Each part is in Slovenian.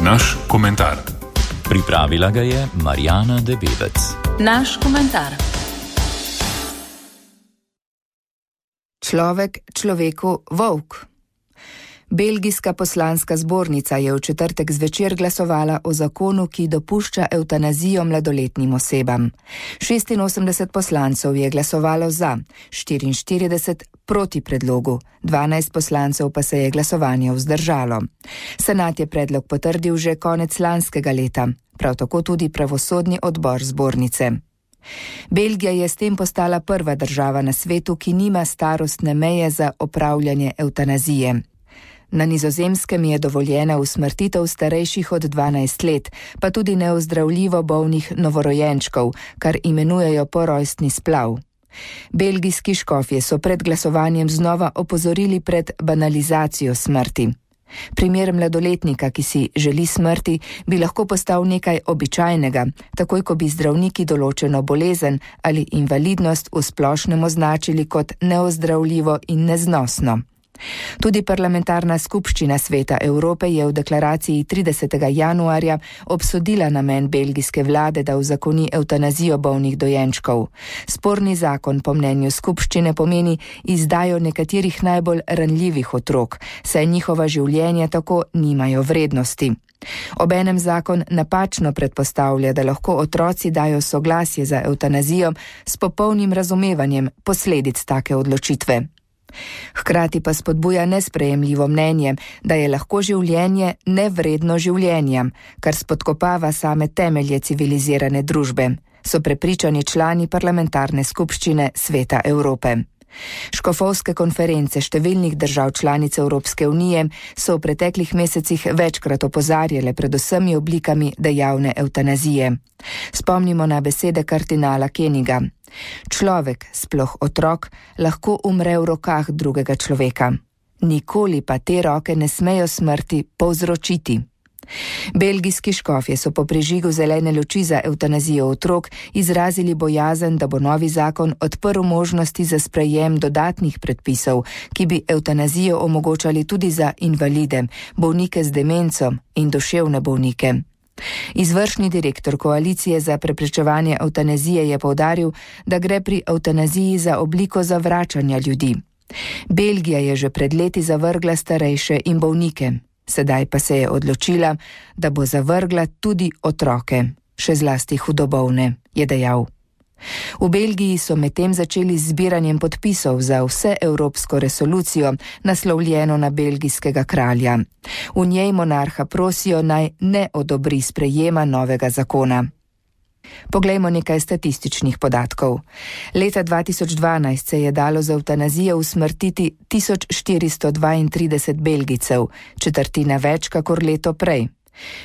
Naš komentar. Pripravila ga je Marjana Debevec. Naš komentar. Človek človeku volk. Belgijska poslanska zbornica je v četrtek zvečer glasovala o zakonu, ki dopušča evtanazijo mladoletnim osebam. 86 poslancev je glasovalo za, 44 proti predlogu, 12 poslancev pa se je glasovanje vzdržalo. Senat je predlog potrdil že konec lanskega leta, prav tako tudi pravosodni odbor zbornice. Belgija je s tem postala prva država na svetu, ki nima starostne meje za opravljanje evtanazije. Na Nizozemskem je dovoljena usmrtitev starejših od 12 let, pa tudi neozdravljivo bolnih novorojenčkov, kar imenujejo porojstni splav. Belgijski škofje so pred glasovanjem znova opozorili pred banalizacijo smrti. Primer mladoletnika, ki si želi smrti, bi lahko postal nekaj običajnega, takoj ko bi zdravniki določeno bolezen ali invalidnost v splošnem označili kot neozdravljivo in neznosno. Tudi parlamentarna skupščina Sveta Evrope je v deklaraciji 30. januarja obsodila namen belgijske vlade, da uzakoni evtanazijo bolnih dojenčkov. Sporni zakon po mnenju skupščine pomeni izdajo nekaterih najbolj ranljivih otrok, saj njihova življenja tako nimajo vrednosti. Obenem zakon napačno predpostavlja, da lahko otroci dajo soglasje za evtanazijo s popolnim razumevanjem posledic take odločitve. Hkrati pa spodbuja nesprejemljivo mnenje, da je lahko življenje nevredno življenja, kar spodkopava same temelje civilizirane družbe, so prepričani člani parlamentarne skupščine Sveta Evrope. Škofovske konference številnih držav članic Evropske unije so v preteklih mesecih večkrat opozarjale pred vsemi oblikami dejavne evtanazije. Spomnimo na besede kardinala Keniga. Človek, sploh otrok, lahko umre v rokah drugega človeka. Nikoli pa te roke ne smejo smrti povzročiti. Belgijski škofje so po prižigu zelene luči za evtanazijo otrok izrazili bojazen, da bo novi zakon odprl možnosti za sprejem dodatnih predpisov, ki bi evtanazijo omogočali tudi za invalide, bolnike z demenco in duševne bolnike. Izvršni direktor koalicije za preprečevanje evtanazije je poudaril, da gre pri evtanaziji za obliko zavračanja ljudi. Belgija je že pred leti zavrgla starejše in bolnike. Sedaj pa se je odločila, da bo zavrgla tudi otroke, še zlasti hudobolne, je dejal. V Belgiji so medtem začeli z zbiranjem podpisov za vseevropsko resolucijo, naslovljeno na belgijskega kralja. V njej monarha prosijo, naj ne odobri sprejema novega zakona. Poglejmo nekaj statističnih podatkov. Leta 2012 se je dalo za evtanazijo usmrtiti 1432 Belgijcev, četrtina več kakor leto prej.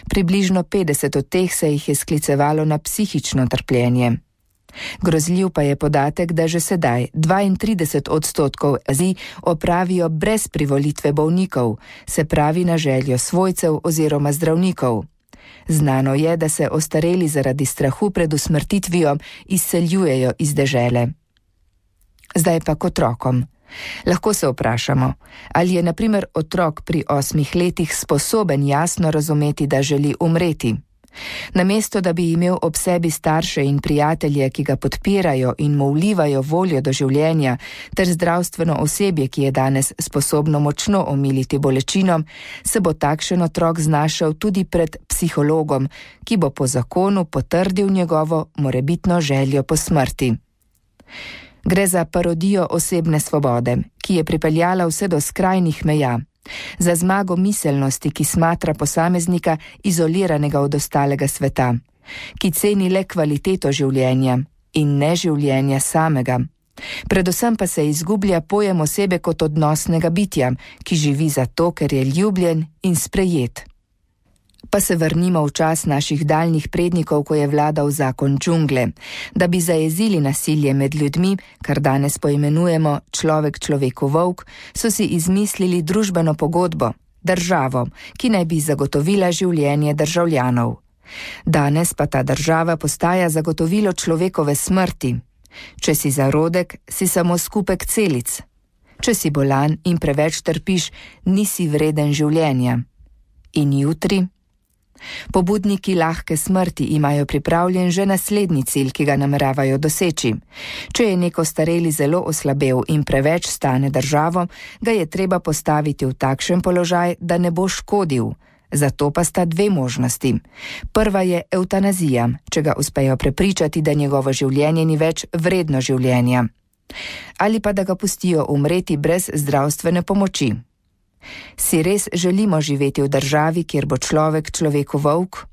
Približno 50 od teh se jih je sklicevalo na psihično trpljenje. Grozljiv pa je podatek, da že sedaj 32% evtanazij opravijo brez privolitve bolnikov, se pravi na željo svojcev oziroma zdravnikov. Znano je, da se ostareli zaradi strahu pred usmrtitvijo izseljujejo iz dežele. Zdaj pa k otrokom. Lahko se vprašamo, ali je na primer otrok pri 8 letih sposoben jasno razumeti, da želi umreti. Namesto da bi imel ob sebi starše in prijatelje, ki ga podpirajo in mu vlivajo voljo do življenja, ter zdravstveno osebje, ki je danes sposobno močno omiliti bolečino, se bo takšen otrok znašel tudi pred psihologom, ki bo po zakonu potrdil njegovo morebitno željo po smrti. Gre za parodijo osebne svobode, ki je pripeljala vse do skrajnih meja. Za zmago miselnosti, ki smatra posameznika izoliranega od ostalega sveta, ki ceni le kvaliteto življenja in ne življenja samega. Predvsem pa se izgublja pojem osebe kot odnosnega bitja, ki živi zato, ker je ljubljen in sprejet. Pa se vrnimo v čas naših daljnih prednikov, ko je vladal zakon džungle. Da bi zajezili nasilje med ljudmi, kar danes poimenujemo človek človeku volk, so si izmislili družbeno pogodbo, državo, ki naj bi zagotovila življenje državljanov. Danes pa ta država postaja zagotovilo človekove smrti. Če si zarodek, si samo skupek celic. Če si bolan in preveč trpiš, nisi vreden življenja. In jutri? Pobudniki lahke smrti imajo pripravljen že naslednji cilj, ki ga nameravajo doseči. Če je neko stareli zelo oslabel in preveč stane državo, ga je treba postaviti v takšen položaj, da ne bo škodil. Zato pa sta dve možnosti. Prva je evtanazija, če ga uspejo prepričati, da njegovo življenje ni več vredno življenja. Ali pa da ga pustijo umreti brez zdravstvene pomoči. Si res želimo živeti v državi, kjer bo človek človeku volk?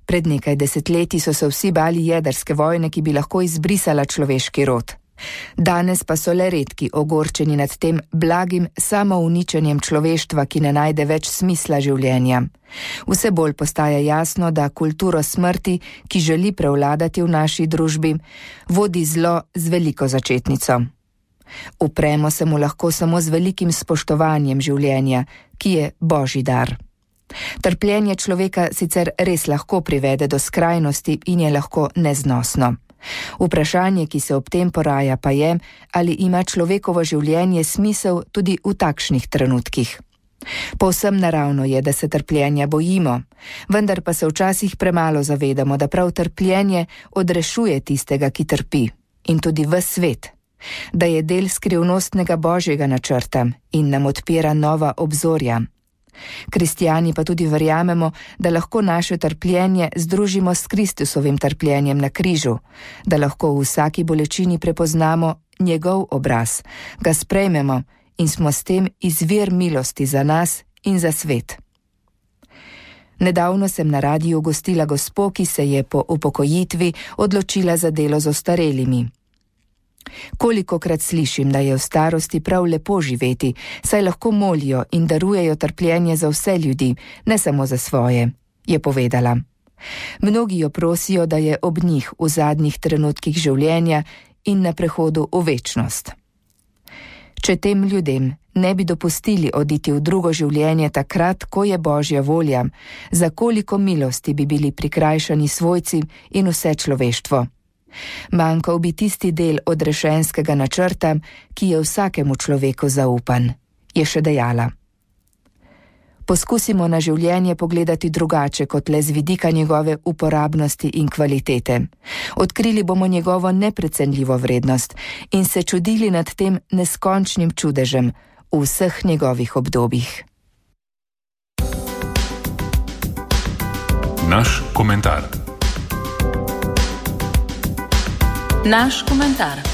Pred nekaj desetletji so se vsi bali jedrske vojne, ki bi lahko izbrisala človeški rod. Danes pa so le redki ogorčeni nad tem blagim samouničenjem človeštva, ki ne najde več smisla življenja. Vse bolj postaja jasno, da kulturo smrti, ki želi prevladati v naši družbi, vodi zlo z veliko začetnico. Upremo se mu lahko samo z velikim spoštovanjem življenja, ki je božji dar. Trpljenje človeka sicer res lahko privede do skrajnosti in je lahko neznosno. Vprašanje, ki se ob tem poraja, pa je, ali ima človekovo življenje smisel tudi v takšnih trenutkih. Povsem naravno je, da se trpljenja bojimo, vendar pa se včasih premalo zavedamo, da prav trpljenje odrešuje tistega, ki trpi, in tudi ves svet, da je del skrivnostnega božjega načrta in nam odpira nova obzorja. Kristjani pa tudi verjamemo, da lahko naše trpljenje združimo s Kristusovim trpljenjem na križu, da lahko v vsaki bolečini prepoznamo njegov obraz, ga sprejmemo in smo s tem izvir milosti za nas in za svet. Nedavno sem na radiju gostila gospo, ki se je po upokojitvi odločila za delo z ostarelimi. Kolikokrat slišim, da je v starosti prav lepo živeti, saj lahko molijo in darujejo trpljenje za vse ljudi, ne samo za svoje, je povedala. Mnogi jo prosijo, da je ob njih v zadnjih trenutkih življenja in na prehodu v večnost. Če tem ljudem ne bi dopustili oditi v drugo življenje takrat, ko je božja volja, za koliko milosti bi bili prikrajšani svojci in vse človeštvo. Manjkal bi tisti del odrešenskega načrta, ki je vsakemu človeku zaupan, je še dejala. Poskusimo na življenje pogledati drugače kot le z vidika njegove uporabnosti in kvalitete. Odkrili bomo njegovo neprecenljivo vrednost in se čudili nad tem neskončnim čudežem v vseh njegovih obdobjih. Naš komentar. Naš komentar.